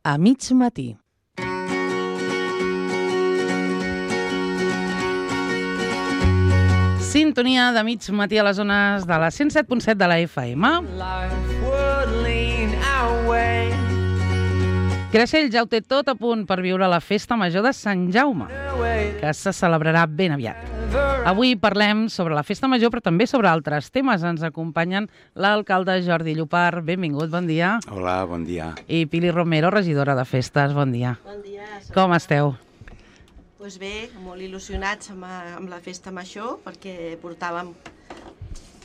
a mig matí. Sintonia de mig matí a les zones de la 107.7 de la FM. Creixell ja ho té tot a punt per viure la festa major de Sant Jaume, que se celebrarà ben aviat. Avui parlem sobre la festa major, però també sobre altres temes. Ens acompanyen l'alcalde Jordi Llopart. Benvingut, bon dia. Hola, bon dia. I Pili Romero, regidora de festes. Bon dia. Bon dia. Com esteu? Doncs bé, molt il·lusionats amb la festa major, perquè portàvem...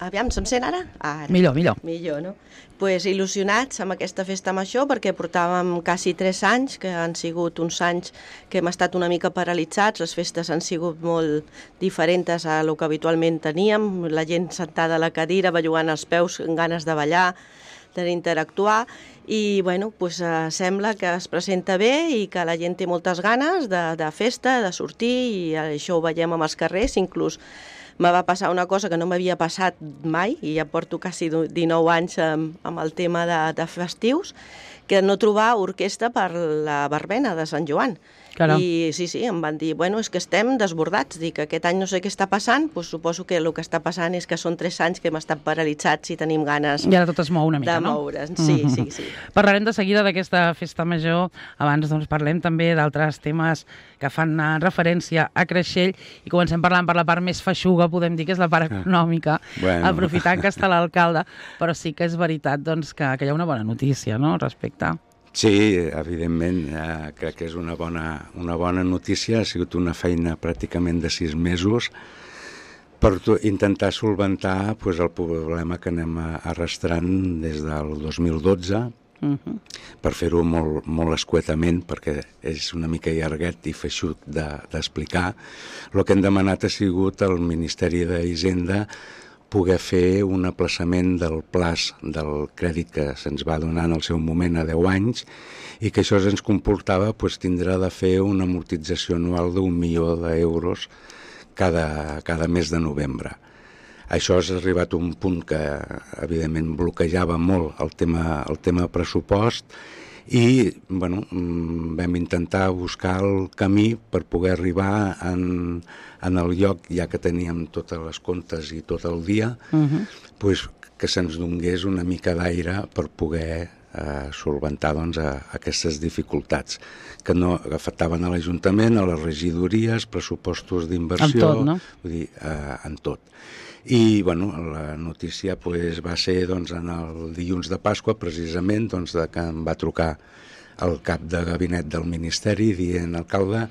Aviam, se'm sent ara? Ara. Millor, millor. Millor, no? Doncs il·lusionats amb aquesta festa major, perquè portàvem quasi 3 anys, que han sigut uns anys que hem estat una mica paralitzats, les festes han sigut molt diferents a lo que habitualment teníem, la gent sentada a la cadira, bellugant els peus, amb ganes de ballar, d'interactuar, i bueno, pues, sembla que es presenta bé i que la gent té moltes ganes de festa, de sortir, i això ho veiem amb els carrers. Inclús me va passar una cosa que no m'havia passat mai, i ja porto quasi 19 anys amb el tema de festius, que no trobar orquestra per la verbena de Sant Joan. Caram. I sí, em van dir, bueno, és que estem desbordats, dic, aquest any no sé què està passant, doncs suposo que el que està passant és que són 3 anys que hem estat paralitzats i tenim ganes I ara tot es mou una mica, de no? moure's. Sí. Parlarem de seguida d'aquesta festa major. Abans doncs, parlem també d'altres temes que fan referència a Creixell i comencem parlant per la part més feixuga, podem dir que és la part econòmica, Bueno. aprofitant que està l'alcalde, però sí que és veritat doncs, que hi ha una bona notícia, no?, respecte. Sí, evidentment, crec que és una bona notícia. Ha sigut una feina pràcticament de 6 mesos per intentar solventar pues, el problema que anem arrastrant des del 2012, per fer-ho molt escuetament, perquè és una mica llarguet i feixut d'explicar. El que hem demanat ha sigut al Ministeri d'Hisenda poder fer un aplaçament del plaç del crèdit que se'ns va donar en el seu moment a 10 anys i que això ens comportava pues, tindrà de fer una amortització anual d'1 milió d'euros cada mes de novembre. Això ha arribat a un punt que evidentment bloquejava molt el tema pressupost i bueno, vam intentar buscar el camí per poder arribar en el lloc, ja que teníem totes les comptes i tot el dia, pues, que se'ns donés una mica d'aire per poder solventar doncs, aquestes dificultats que no afectaven a l'Ajuntament, a les regidories, pressupostos d'inversió, en tot, no? Vull dir, en tot. I bueno, la notícia pues, va ser doncs, en el dilluns de Pasqua, precisament, doncs, que em va trucar el cap de gabinet del Ministeri dient, alcalde,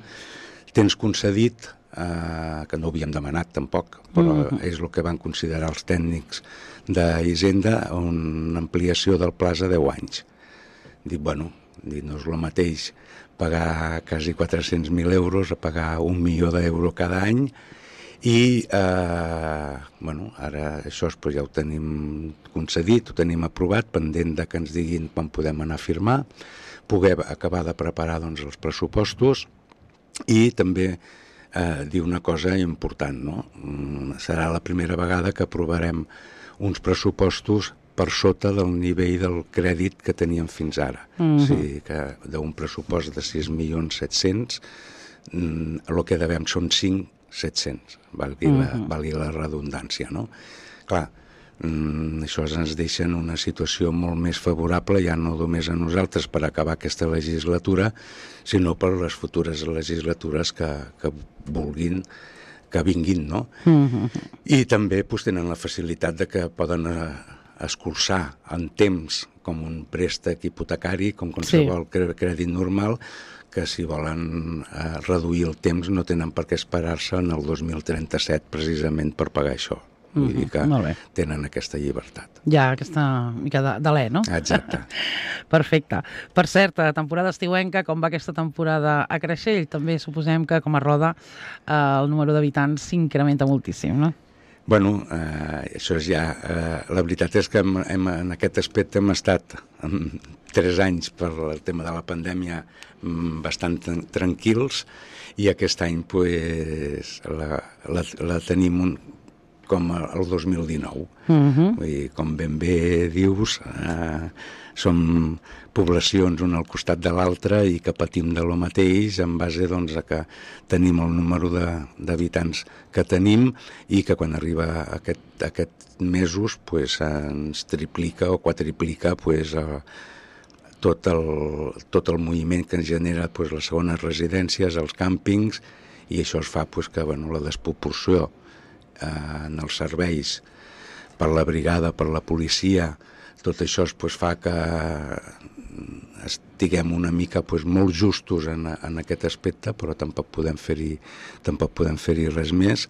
tens concedit, que no ho havíem demanat tampoc, però és el que van considerar els tècnics d'Hisenda, una ampliació del plaç a 10 anys. Dic, bueno, no és el mateix pagar quasi 400.000 euros a pagar 1 milió d'euros cada any. I bueno, ara això pues, ja ho tenim concedit, ho tenim aprovat, pendent de que ens diguin quan podem anar a firmar, poder acabar de preparar doncs, els pressupostos i també dir una cosa important, no? Serà la primera vegada que aprovarem uns pressupostos per sota del nivell del crèdit que teníem fins ara. O sigui que d'un pressupost de 6.700.000, el que devem són 5.700.000, valgui la redundància, no? Clar, això ens deixa en una situació molt més favorable, ja no només a nosaltres per acabar aquesta legislatura, sinó per les futures legislatures que vulguin, que vinguin, no? I també pues, tenen la facilitat de que poden escurçar en temps com un préstec hipotecari, com qualsevol crèdit normal, que si volen reduir el temps no tenen per què esperar-se en el 2037 precisament per pagar això. Vull dir que tenen aquesta llibertat. Hi ha aquesta mica d'alè, no? Exacte. Perfecte. Per cert, temporada estiuenca, com va aquesta temporada a Creixell? També suposem que com a Roda el número d'habitants s'incrementa moltíssim, no? Bueno, això és ja... la veritat és que en aquest aspecte hem estat 3 anys per el tema de la pandèmia bastant tranquils i aquest any pues, la tenim com el 2019. Vull dir, com ben bé dius, som poblacions una al costat de l'altra i que patim de lo mateix en base doncs, a que tenim el número d'habitants que tenim i que quan arriba aquests mesos pues, ens triplica o quadriplica pues, tot el moviment que ens genera pues, les segones residències, els càmpings, i això es fa pues, que bueno, la desproporció en els serveis per la brigada, per la policia, tot això pues, fa que estiguem una mica pues, molt justos en aquest aspecte, però tampoc podem fer-hi res més,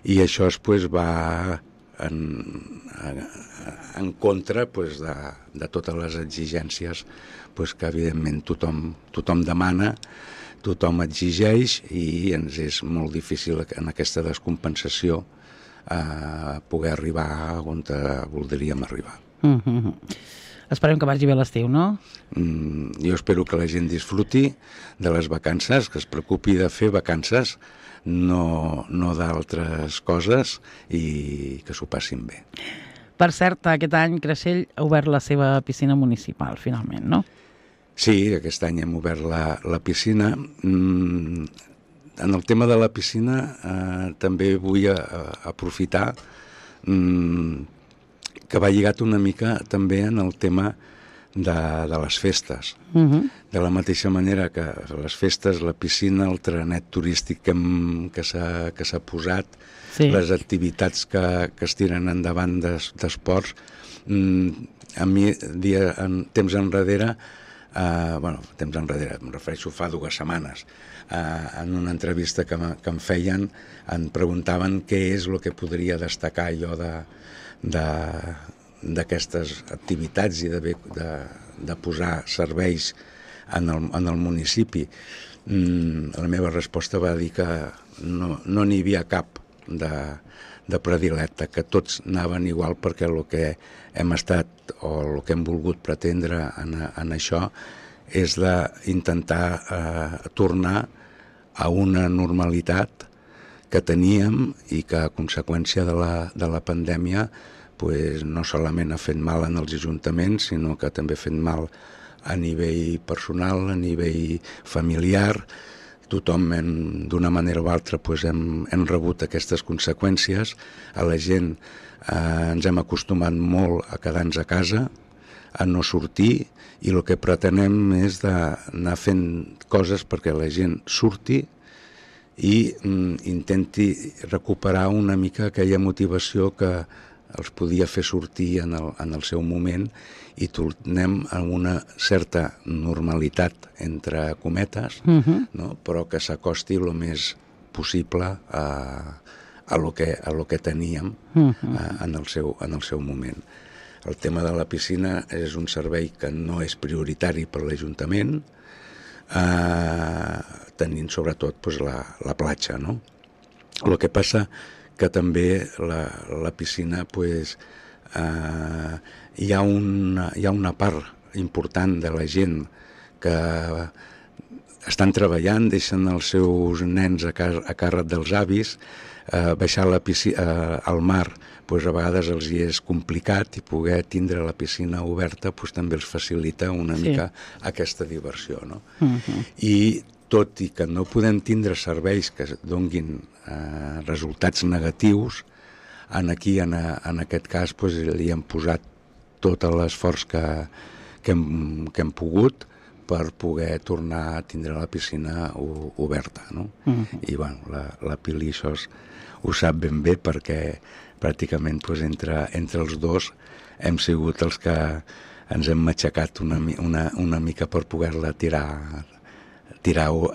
i això pues, va en contra pues, de totes les exigències pues, que evidentment tothom demana, tothom exigeix, i ens és molt difícil en aquesta descompensació poder arribar on voldríem arribar. Esperem que vagi bé l'estiu, no? Jo espero que la gent disfruti de les vacances, que es preocupi de fer vacances, no d'altres coses, i que s'ho passin bé. Per cert, aquest any Creixell ha obert la seva piscina municipal, finalment, no? Sí, aquest any hem obert la piscina. En el tema de la piscina també vull aprofitar que va lligat una mica també en el tema de les festes. De la mateixa manera que les festes, la piscina, el trenet turístic que s'ha posat, sí, les activitats que es tiren endavant d'esports, a mi temps enrere, em refereixo fa 2 setmanes, en una entrevista que em feien, em preguntaven què és el que podria destacar jo d'aquestes activitats i de posar serveis en el municipi. La meva resposta va dir que no n'hi havia cap de predilecte, que tots anaven igual, perquè el que hem estat o el que hem volgut pretendre en això és d'intentar tornar a una normalitat que teníem i que a conseqüència de la pandèmia pues, no solament ha fet mal en els ajuntaments, sinó que també ha fet mal a nivell personal, a nivell familiar. Tothom, d'una manera o altra, pues, hem rebut aquestes conseqüències. A la gent ens hem acostumat molt a quedar-nos a casa, a no sortir, i el que pretenem és d'anar fent coses perquè la gent surti i intenti recuperar una mica aquella motivació que els podia fer sortir en el seu moment, i tornem a una certa normalitat, entre cometes, no? Però que s'acosti el més possible a lo que teníem en el seu moment. El tema de la piscina és un servei que no és prioritari per l'Ajuntament, tenint sobretot pues, la platja, no? El que passa que també la piscina pues, hi ha una part important de la gent que estan treballant, deixen els seus nens a càrrec dels avis, baixar al mar pues, a vegades els hi és complicat, i poder tindre la piscina oberta pues, també els facilita una mica aquesta diversió, no? I tot i que no podem tindre serveis que donguin resultats negatius, en aquest cas pues, li hem posat tot l'esforç que hem pogut per poder tornar a tindre la piscina oberta, no? I bueno, la Pili això ho sap ben bé, perquè pràcticament pues, entre els dos hem sigut els que ens hem matxacat una mica per poder-la tirar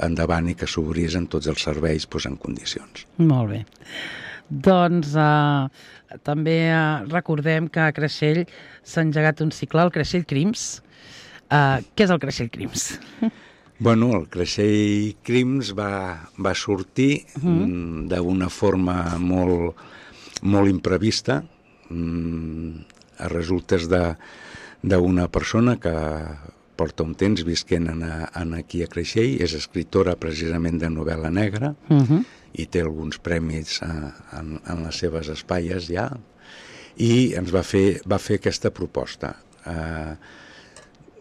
endavant i que s'obrís en tots els serveis pues, en condicions. Molt bé. Doncs també recordem que a Creixell s'ha engegat un cicle, el Creixell Crims. Què és el Creixell Crims? Bueno, el Creixell Crims va sortir d'una forma molt imprevista, a resultes d'una persona que porta un temps visquent aquí a Creixell, és escriptora precisament de novel·la negra, i té alguns premis en les seves espatlles ja, i ens va fer aquesta proposta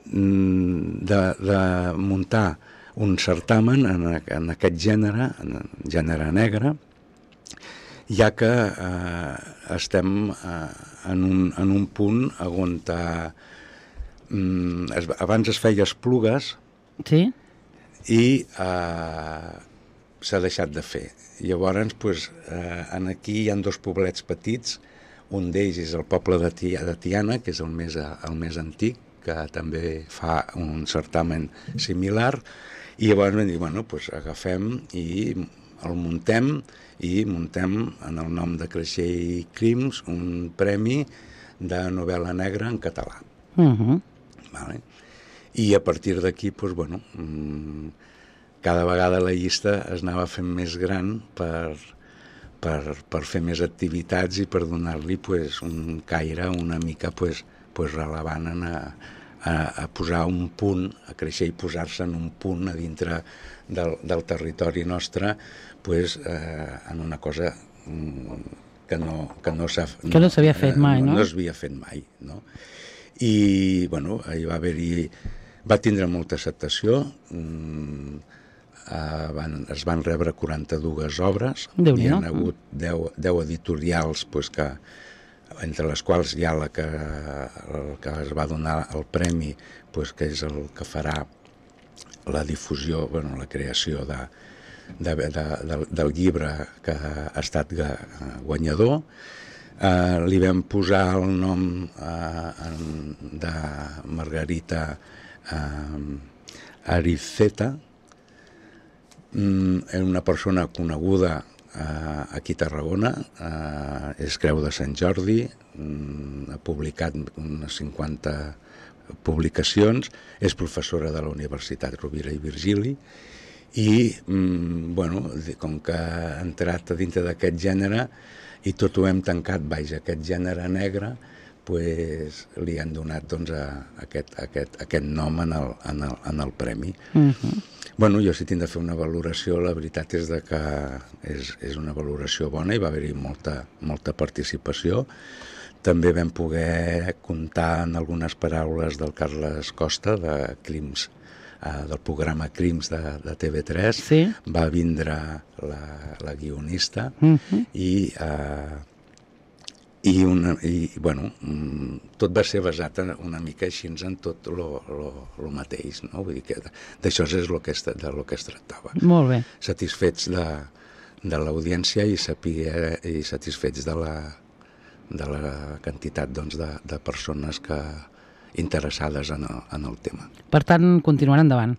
de muntar un certamen en aquest gènere, negre, ja que estem en un punt on abans es feia Esplugues, sí? I s'ha deixat de fer. Llavors, aquí hi ha 2 poblets petits, un d'ells és el poble de Tiana, que és el més antic, que també fa un certamen similar, i llavors vam dir, agafem i el muntem en el nom de Creixell Crims un premi de novel·la negra en català. Vale? I a partir d'aquí, cada vegada la llista es anava fent més gran per fer més activitats i per donar-li un caire una mica rellevant a posar un punt, a créixer i posar-se en un punt a dintre del territori nostre en una cosa que no s'havia fet mai, no? No s'havia fet mai, no? I, va tindre molta acceptació, es van rebre 42 obres, hi ha hagut 10 editorials entre les quals hi ha la que es va donar el premi, que és el que farà la difusió, la creació del llibre que ha estat guanyador. Li vam posar el nom de Margarita Ariceta, una persona coneguda aquí a Tarragona, és Creu de Sant Jordi, ha publicat unes 50 publicacions, és professora de la Universitat Rovira i Virgili, i com que ha entrat a dintre d'aquest gènere i tot ho hem tancat baix aquest gènere negre, li han donat aquest nom en el premi. Jo si tinc de fer una valoració, la veritat és que és una valoració bona i va haver-hi molta participació. També vam poder comptar en algunes paraules del Carles Costa, de Crims, del programa Crims de TV3. Sí. Va vindre la guionista tot va ser basat una mica així en tot el mateix, no? Vull dir que d'això és del que es tractava. Molt bé. Satisfets de l'audiència i satisfets de la quantitat de persones interessades en el tema. Per tant, continuarà endavant.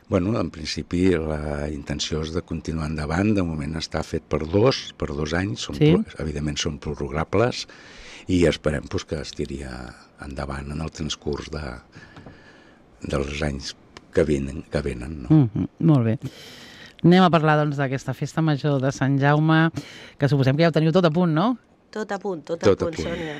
En principi la intenció és de continuar endavant. De moment està fet per 2 anys, evidentment són prorrogables, i esperem que es tiri endavant en el transcurs dels anys que venen. No? Molt bé. Anem a parlar d'aquesta festa major de Sant Jaume, que suposem que ja ho teniu tot a punt, no? Tot a punt, Sònia.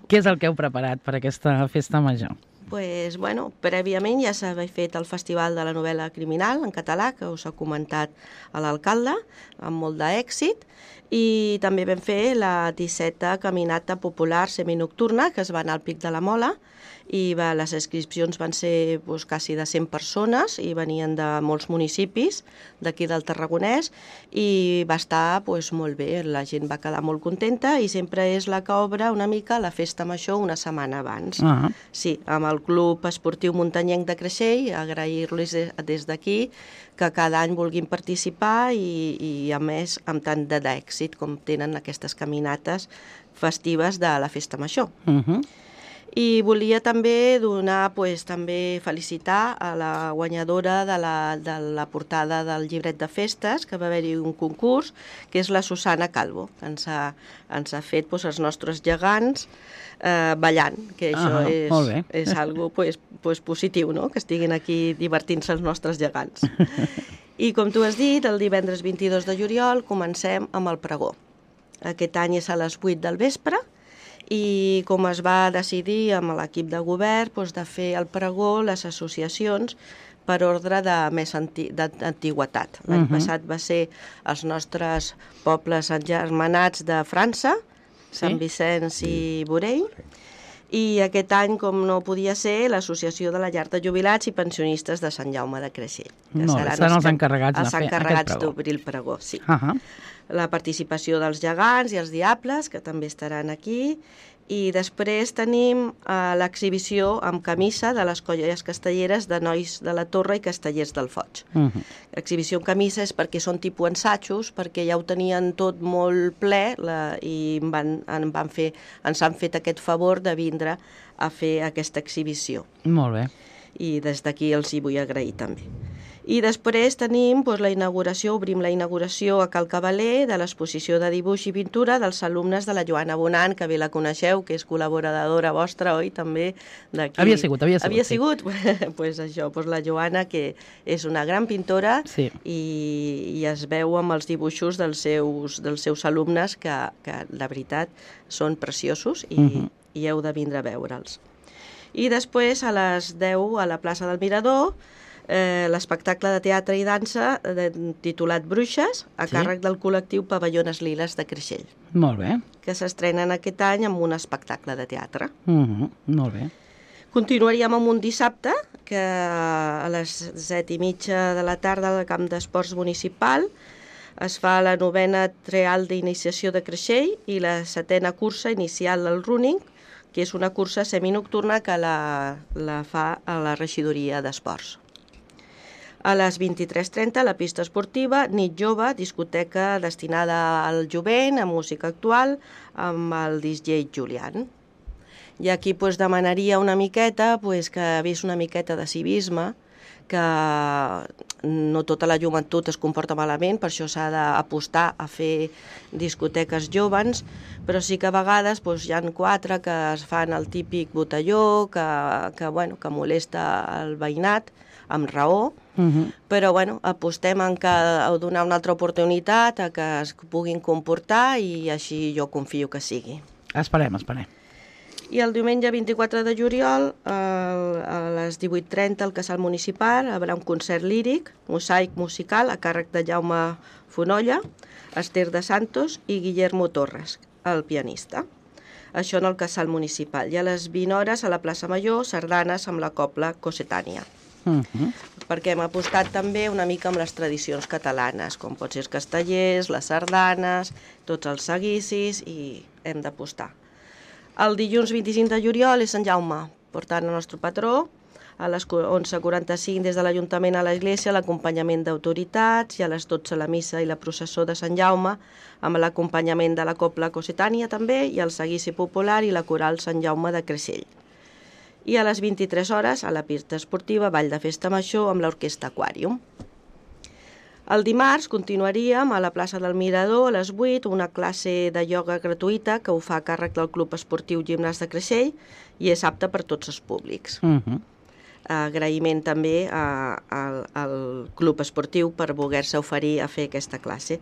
Què és el que heu preparat per aquesta festa major? Prèviament ja s'havia fet el Festival de la Novel·la Criminal en català, que us ha comentat l'alcalde, amb molt d'èxit, i també vam fer la 17a Caminata Popular Seminocturna, que es va anar al Pic de la Mola, i les inscripcions van ser quasi de 100 persones i venien de molts municipis d'aquí del Tarragonès, i va estar molt bé, la gent va quedar molt contenta, i sempre és la que obre una mica la festa major una setmana abans. Sí, amb el Club Esportiu Muntanyenc de Creixell, agrair-los des d'aquí que cada any vulguin participar i a més amb tant d'èxit com tenen aquestes caminates festives de la festa major. I volia també felicitar a la guanyadora de la portada del llibret de festes, que va haver-hi un concurs, que és la Susana Calvo, que ens ha fet els nostres gegants ballant, que això és algo positiu, no? Que estiguin aquí divertint-se els nostres gegants. I com tu has dit, el divendres 22 de juliol comencem amb el pregó. Aquest any és a les 8 del vespre, i com es va decidir amb l'equip de govern de fer el pregó, les associacions per ordre de més d'antiguitat. L'any passat va ser els nostres pobles engermanats de França, Sant Vicenç i Borell, i aquest any, com no podia ser, l'Associació de la Llar de Jubilats i Pensionistes de Sant Jaume de Creixell. Seran els encarregats de fer aquest pregó. Els encarregats d'obrir el pregó, sí. La participació dels gegants i els diables, que també estaran aquí, i després tenim l'exhibició amb camisa de les colles castelleres de Nois de la Torre i Castellers del Foig. L'exhibició amb camisa és perquè són tipus ensatjos, perquè ja ho tenien tot molt ple i ens han fet aquest favor de vindre a fer aquesta exhibició. Molt bé. I des d'aquí els hi vull agrair també. I després tenim obrim la inauguració a Cal Cavaler de l'exposició de dibuix i pintura dels alumnes de la Joana Bonant, que bé la coneixeu, que és col·laboradora vostra, oi, també d'aquí. Havia sigut. Havia sigut? Pues això, la Joana, que és una gran pintora i es veu amb els dibuixos dels seus alumnes, que la veritat són preciosos i heu de vindre a veure'ls. I després, a les 10, a la plaça del Mirador, l'espectacle de teatre i dansa titulat Bruixes, a càrrec del col·lectiu Pavellons Liles de Creixell. Molt bé. Que s'estrenen aquest any amb un espectacle de teatre. Molt bé. Continuaríem amb un dissabte, que a les 7:30 de la tarda al camp d'esports municipal es fa la 9a trial d'iniciació de Creixell i la 7a cursa inicial del running, que és una cursa seminocturna que la fa a la regidoria d'esports. A les 23:30, la pista esportiva, nit jove, discoteca destinada al jovent, a música actual, amb el DJ Julián. I aquí demanaria una miqueta que hagués una miqueta de civisme, que no tota la joventut es comporta malament, per això s'ha d'apostar a fer discoteques joves, però sí que a vegades hi ha 4 que es fan el típic botelló, que molesta el veïnat, amb raó, però apostem a donar una altra oportunitat a que es puguin comportar i així jo confio que sigui. Esperem. I el diumenge 24 de juliol, a les 18:30 al Casal Municipal, hi haurà un concert líric, mosaic musical, a càrrec de Jaume Fonolla, Esther de Santos i Guillermo Torres, el pianista. Això en el Casal Municipal. I a les 20 hores a la plaça Major, sardanes amb la cobla Cossetània. Perquè hem apostat també una mica amb les tradicions catalanes, com pot ser els castellers, les sardanes, tots els seguicis, i hem d'apostar. El dilluns 25 de juliol és Sant Jaume, portant el nostre patró, a les 11:45 des de l'Ajuntament a l'Església, l'acompanyament d'autoritats, i a les 12 la missa i la processó de Sant Jaume, amb l'acompanyament de la cobla Cossetània també, i el seguici popular i la coral Sant Jaume de Creixell. I a les 23 hores, a la pista esportiva, ball de festa major amb l'orquestra Aquàrium. El dimarts continuaríem a la plaça del Mirador a les 8, una classe de ioga gratuïta que ho fa a càrrec del Club Esportiu Gimnàs de Creixell i és apte per tots els públics. Agraïment també al Club Esportiu per voler-se oferir a fer aquesta classe.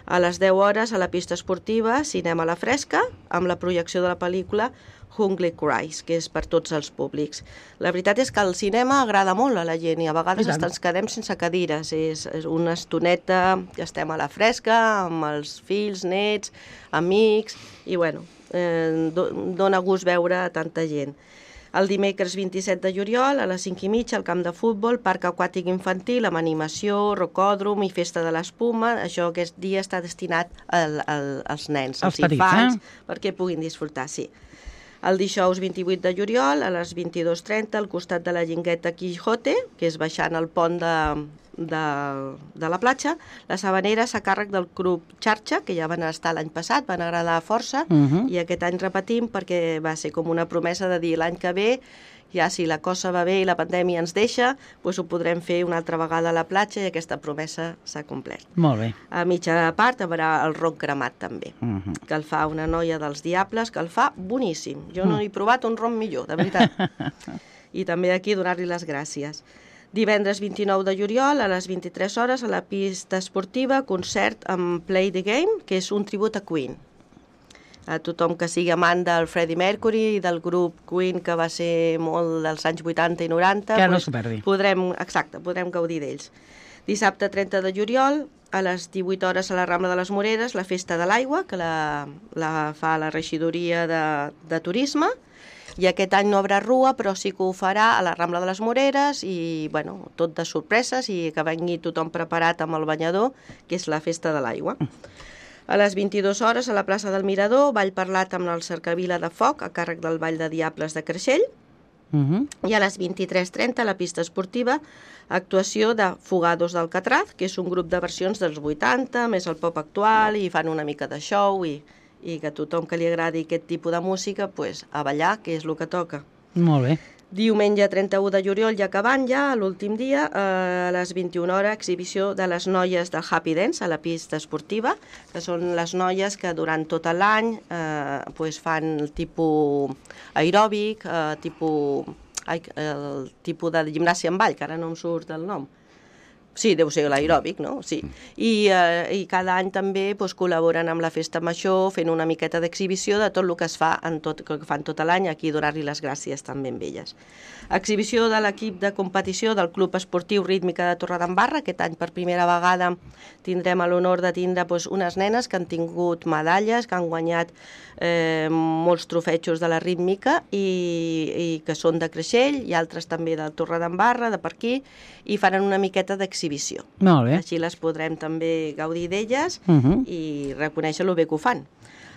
A les 10 hores, a la pista esportiva, cinema a la fresca, amb la projecció de la pel·lícula Hungry Cries, que és per tots els públics. La veritat és que el cinema agrada molt a la gent i a vegades ens quedem sense cadires. És una estoneta que estem a la fresca, amb els fills, nets, amics, i dona gust veure tanta gent. El dimecres 27 de juliol, a les 5:30, al camp de futbol, parc aquàtic infantil, amb animació, rocòdrom i festa de l'espuma. Això aquest dia està destinat als nens, als infants, perquè puguin disfrutar, sí. El dijous 28 de juliol, a les 22:30, al costat de la Guingueta Quijote, que és baixant el pont de la platja, les habaneres a càrrec del Club Xarxa, que ja van estar l'any passat, van agradar força, i aquest any repetim perquè va ser com una promesa de dir l'any que ve, ja si la cosa va bé i la pandèmia ens deixa, doncs ho podrem fer una altra vegada a la platja i aquesta promesa s'ha complert. Molt bé. A mitja part hi haurà el ron cremat també, que el fa una noia dels Diables, que el fa boníssim. Jo no he provat un ron millor, de veritat. I també aquí donar-li les gràcies. Divendres 29 de juliol, a les 23 hores, a la pista esportiva, concert amb Play the Game, que és un tribut a Queen. a tothom que sigui amant del Freddie Mercury i del grup Queen, que va ser molt dels anys 80 i 90. Que no s'ho perdi. Podrem gaudir d'ells. Dissabte 30 de juliol, a les 18 hores a la Rambla de les Moreres, la Festa de l'Aigua, que la fa la regidoria de Turisme, i aquest any no haurà rua, però sí que ho farà a la Rambla de les Moreres i, bueno, tot de sorpreses i que vengui tothom preparat amb el banyador, que és la Festa de l'Aigua. A les 22 hores, a la plaça del Mirador, ball parlat amb el Cercavila de Foc, a càrrec del Ball de Diables de Creixell, i a les 23:30, a la pista esportiva, actuació de Fugados d'Alcatraz, que és un grup de versions dels 80, més el pop actual, i fan una mica de show, i que a tothom que li agradi aquest tipus de música, pues, a ballar, que és el que toca. Molt bé. Diumenge 31 de juliol, ja acabant ja, l'últim dia, a les 21 hores, exhibició de les noies del Happy Dance a la pista esportiva, que són les noies que durant tot l'any pues, fan el tipus aeròbic, el tipus de gimnàsia en ball, que ara no em surt el nom. Sí, deu ser l'aeròbic, no? Sí. I cada any també doncs, col·laboren amb la Festa Major fent una miqueta d'exhibició de tot el que es fa que fan tot l'any, aquí donar-li les gràcies també amb elles. Exhibició de l'equip de competició del Club Esportiu Rítmica de Torredembarra. Aquest any per primera vegada tindrem l'honor de tindre doncs, unes nenes que han tingut medalles, que han guanyat molts trofejos de la rítmica i que són de Creixell i altres també de Torredembarra, de per aquí, i faran una miqueta d'exhibició. Molt bé. Així les podrem també gaudir d'elles i reconèixer el bé que ho fan.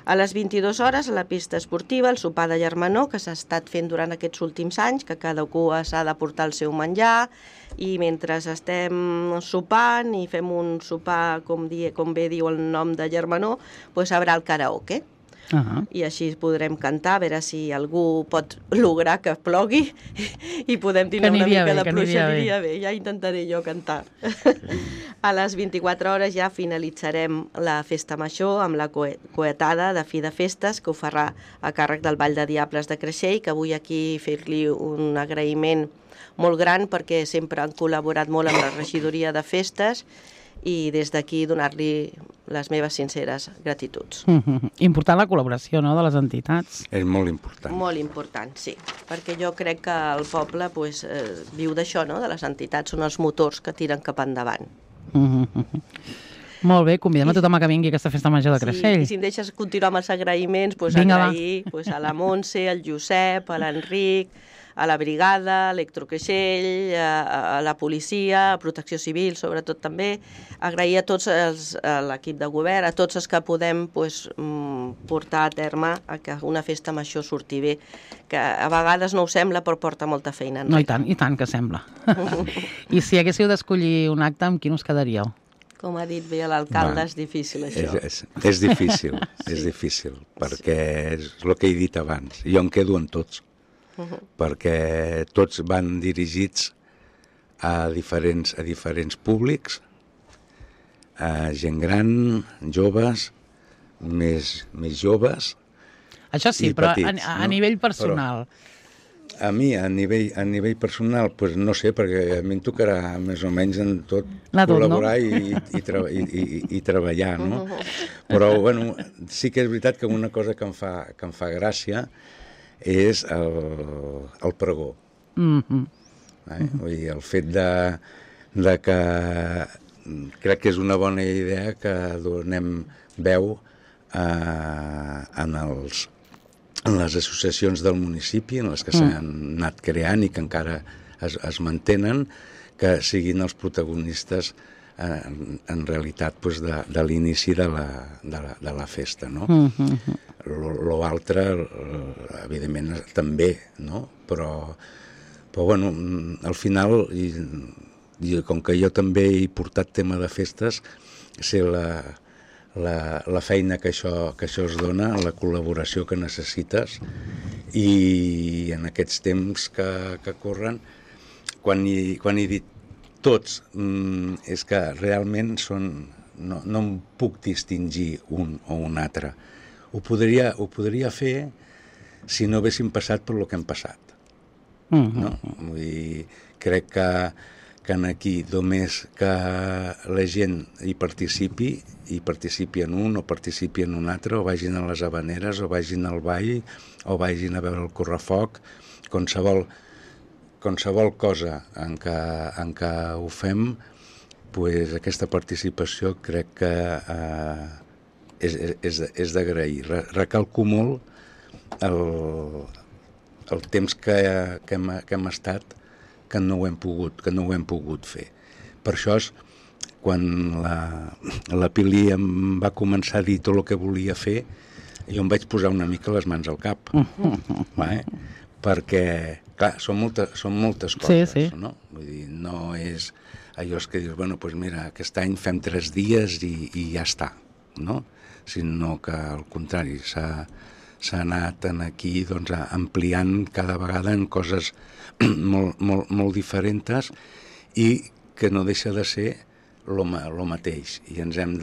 A les 22 hores, a la pista esportiva, el sopar de germanor, que s'ha estat fent durant aquests últims anys, que cada cua s'ha de portar el seu menjar, i mentre estem sopant i fem un sopar, com bé diu el nom de germanor, doncs haurà el karaoke. I així podrem cantar, a veure si algú pot lograr que plogui i podem tenir una mica de pluja, aniria bé. Ja intentaré jo cantar. A les 24 hores ja finalitzarem la Festa Major amb la coetada de fi de festes, que ho farà a càrrec del Ball de Diables de Creixell, que vull aquí fer-li un agraïment molt gran perquè sempre han col·laborat molt amb la regidoria de festes i des d'aquí donar-li les meves sinceres gratituds. Important la col·laboració, no?, de les entitats. És molt important. Molt important, sí, perquè jo crec que el poble pues, viu d'això, no?, de les entitats, són els motors que tiren cap endavant. Molt bé, convidem a tothom que vingui a aquesta Festa Major de Creixell. Sí, i si em deixes continuar amb els agraïments, pues, agrair a la Montse, al Josep, a l'Enric, a la brigada, a Electrocreixell, a la policia, a Protecció Civil, sobretot també, agrair a tots a l'equip de govern, a tots els que podem portar a terme a que una festa major surti bé, que a vegades no ho sembla, però porta molta feina. No, i tant que sembla. I si haguéssiu d'escollir un acte, amb quin us quedaríeu? Com ha dit bé l'alcalde, és difícil, això. És difícil, és difícil, perquè és el que he dit abans. Jo em quedo en tots. Perquè tots van dirigits a diferents públics, a gent gran, joves, més joves. Això sí, però petits, a nivell personal. Però a mi, a nivell personal, doncs no sé, perquè a mi em tocarà més o menys en tot col·laborar i treballar, no? Però, bueno, sí que és veritat que una cosa que em fa gràcia és el pregó. Vull dir, el fet de que crec que és una bona idea que donem veu en les associacions del municipi, en les que s'han anat creant i que encara es mantenen, que siguin els protagonistes en realitat de l'inici de la festa, no? L'altre, evidentment, també, no? Però bueno, al final, com que jo també he portat tema de festes, sé la feina que això es dona, la col·laboració que necessites, i en aquests temps que corren, quan he dit tots, és que realment no em puc distingir un o un altre. Ho podria fer si no haguéssim passat per el que hem passat. No? Vull dir, crec que que aquí només que la gent hi participi en un o participi en un altre, o vagin a les habaneres, o vagin al ball, o vagin a veure el correfoc, qualsevol cosa en què ho fem, pues, aquesta participació crec que és d'agrair. Recalco molt el temps que hem estat que no ho hem pogut fer. Per això, quan la Pili em va començar a dir tot el que volia fer, jo em vaig posar una mica les mans al cap. Perquè, clar, són moltes coses, sí. No? Vull dir, no és allò que dius, bueno, doncs mira, aquest any fem 3 dies i ja està, no? Sinó que, al contrari, s'ha anat aquí doncs, ampliant cada vegada en coses molt diferents i que no deixa de ser lo mateix, i ens hem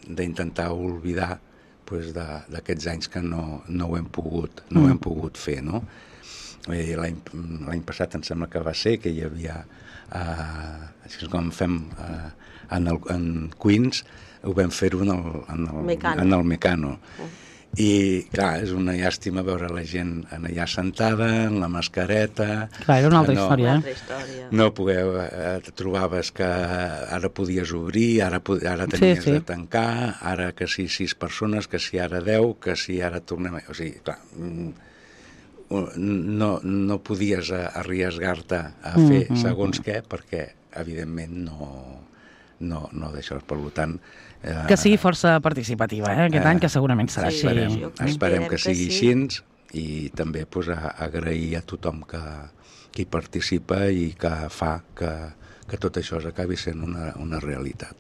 d'intentar oblidar d'aquests anys que no ho hem pogut fer, no? L'any passat em sembla que va ser que hi havia, així com fem en Queens, ho vam fer-ho en el Mecano. I, clar, és una llàstima veure la gent allà sentada, en la mascareta... Clar, era una altra història. No trobaves que ara podies obrir, ara tenies de tancar, ara que si 6 persones, que si ara 10, que si ara tornem... O sigui, clar, no podies arriesgar-te a fer segons què, perquè, evidentment, no d'això. Per tant... Que sigui força participativa, aquest any, que segurament serà així. Esperem que sigui així, i també agrair a tothom que hi participa i que fa que tot això acabi sent una realitat.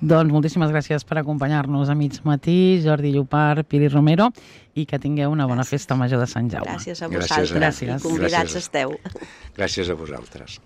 Doncs moltíssimes gràcies per acompanyar-nos a mig matí, Jordi Llopart, Pili Romero, i que tingueu una bona festa major de Sant Jaume. Gràcies a vosaltres. Gràcies. I convidats esteu. Gràcies a vosaltres.